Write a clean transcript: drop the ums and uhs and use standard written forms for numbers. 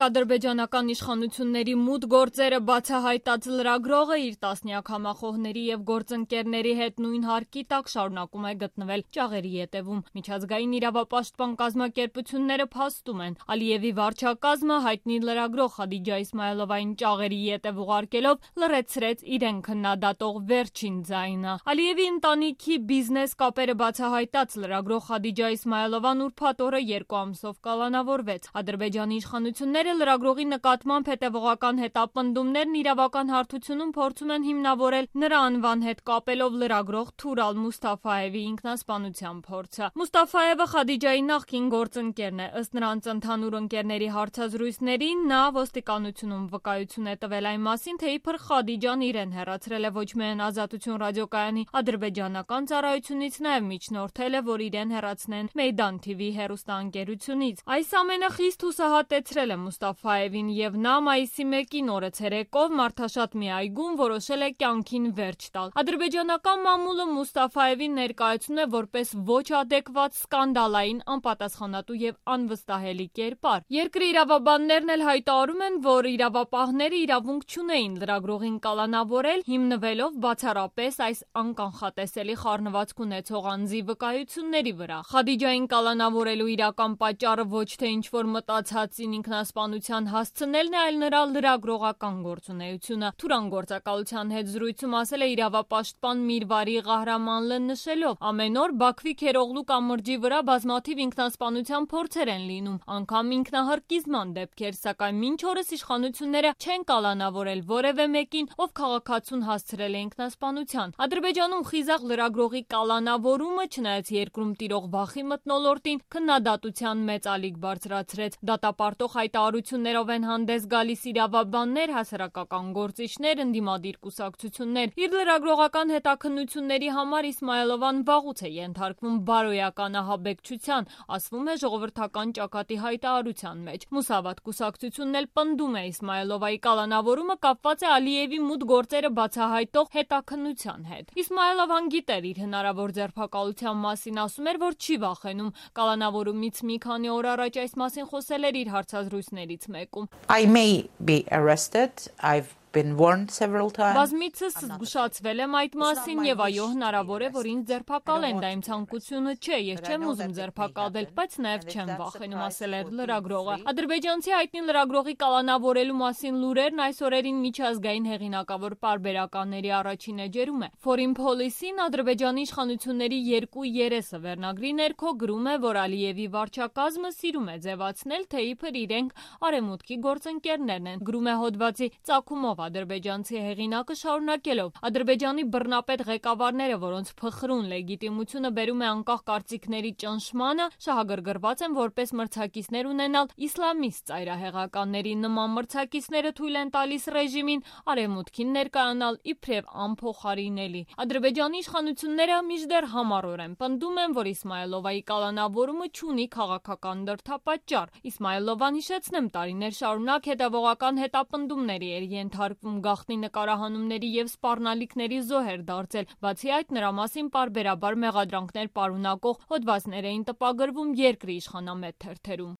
Ադրբեջանական իշխանությունների մութ գործերը բացահայտած լրագրողը իր տասնյակ համախոհների եւ գործընկերների հետ նույն հարկի տակ շարունակում է գտնվել ճաղերի ետևում։ Միջազգային իրավապաշտպան կազմակերպությունները փաստում են, Ալիևի վարչակազմը հայտնի լրագրող Խադիջա Իսմայլովային ճաղերի ետև ուղարկելով լռեցրեց իրեն քննադատող վերջին ձայնը։ Ալիևի ընտանիքի բիզնես կապերը բացահայտած լրագրող Խադիջա Իսմայլովան ուրբաթ օրը 2 ամսով կալանավորվեց։ Ադրբեջանի իշխանությունները լրագրողի նկատմամբ հետևողական հետապնդումներն իրավական հարթությունում փորձում են հիմնավորել նրա անվան հետ կապելով լրագրող Թուրալ Մուստաֆայևի ինքնասպանության փորձը։ Մուստաֆայևը Խադիջայի նախկին գործընկերն է։ Ըստ նրանց ընդհանուր ընկերների հարցազրույցների նա ոստիկանությունում վկայություն է տվել այն մասին, թե իբր Խադիջան իրեն հեռացրել է ոչ միայն Ազատություն ռադիոկայանի ադրբեջանական ծառայությունից, նաև միջնորդել է, որ իրեն հեռացնեն Մեյդան TV հեռուստաընկերությունից։ Այս ամենը խիստ հուսահատեցրել է Մուստաֆայևին եւ նա մայիսի 1-ին օրը ցերեկով մարդաշատ մի այգում որոշել է կյանքին վերջ տալ։ Ադրբեջանական մամուլը Մուստաֆայևին ներկայացնում է որպես ոչ ադեկվատ, սկանդալային, անպատասխանատու եւ անվստահելի կերպար։ Երկրի իրավաբաններն էլ հայտարարում են, որ իրավապահները իրավունք չունեին լրագրողին կալանավորել, հիմնվելով բացառապես այս անկանխատեսելի խառնվածք ունեցող անձի վկայությունների վրա։ Խադիջային կալանավորելու իրական պատճառը ոչ թե ինչ-որ մտածածին ինքնասպանության հասցնելն է, այլ նրա լրագրողական գործունեությունը։ Թուրան գործակալության հետ զրույցում ասել է իրավապաշտպան Միրվարի Ղահրամանլը նշելով. ամեն օր Բաքվի Քերօղլու կամրջի վրա բազմաթիվ ինքնասպանության փորձեր են լինում, անգամ ինքնահրկիզման դեպքեր, սակայն մինչ օրս իշխանությունները չեն կալանավորել որևէ մեկին, ով քաղաքացուն հասցրել է ինքնասպանության։ Ադրբեջանում խիզախ լրագրողի կալանավորումը, չնայած երկրում տիրող վախի մթնոլորտին, քննադատության մեծ ալիք բարձրացրեց։ Դատապարտող հայտարարություններով են հանդես գալիս իրավաբաններ, հասարակական գործիչներ, ընդդիմադիր կուսակցություններ։ Իր լրագրողական հետաքննությունների համար Իսմայլովան վաղուց է ենթարկվում բարոյական ահաբեկչության, ասվում է ժողովրդական ճակատի հայտարարության մեջ։ Մուսավատ կուսակցությունն էլ պնդում է Իսմայլովայի կալանավորումը կապված է Ալիևի մութ գործերը բացահայտող հետաքննության հետ։ Իսմայլովան գիտեր իր հնարավոր ձերբակալության մասին, ասում էր, որ չի վախենում։ Կալանավորումից մի քանի օր առաջ այս մասին խոսել էր իր հարցազրույցներից մեկում։ I may be arrested. I've been warned several times. Բազմիցս զգուշացվել եմ այդ մասին եւ այո, հնարավոր է, որ ինձ ձերբակալեն, դա իմ ցանկությունը չէ, ես չեմ ուզում ձերբակալվել, բայց նաեւ չեմ վախենում, ասել էր լրագրողը։ Ադրբեջանցի հայտնի լրագրողի կալանավորելու մասին լուրերն այս օրերին միջազգային հեղինակավոր պարբերականների առաջին էջերում է։ Foreign Policy-ն Ադրբեջանի իշխանությունների երկու երեսը վերնագրի ներքո գրում է, որ Ալիևի վարչակազմը սիրում է ձևացնել, թե իբր իրենք արևմուտքի գործընկերներն են։ Գրում է հոդվածի ծագումով ադրբեջանցի հեղինակը շարունակելով. Ադրբեջանի բռնապետ ղեկավարները, որոնց փխրուն լեգիտիմությունը բերում է անկախ կարծիքների ճնշմանը, շահագրգռված են որպես մրցակիցներ ունենալ իսլամիստ ծայրահեղականների։ Նման մրցակիցները թույլ են տալիս ռեժիմին արևմուտքին ներկայանալ իբրև անփոխարինելի։ Ադրբեջանի իշխանությունները մինչդեռ համառորեն են պնդում են, որ Իսմայլովայի կալանավորումը չունի քաղաքական դրդապատճառ։ Իսմայլովան, հիշեցնեմ, տարիներ շարունակ հետևողական հետապնդումների էր ենթարկվում, գաղտնի նկարահանումների եւ սպառնալիքների զոհ էր դարձել։ Բացի այդ, նրա մասին պարբերաբար մեղադրանքներ պարունակող հոդվածներ էին տպագրվում երկրի իշխանամետ թերթերում։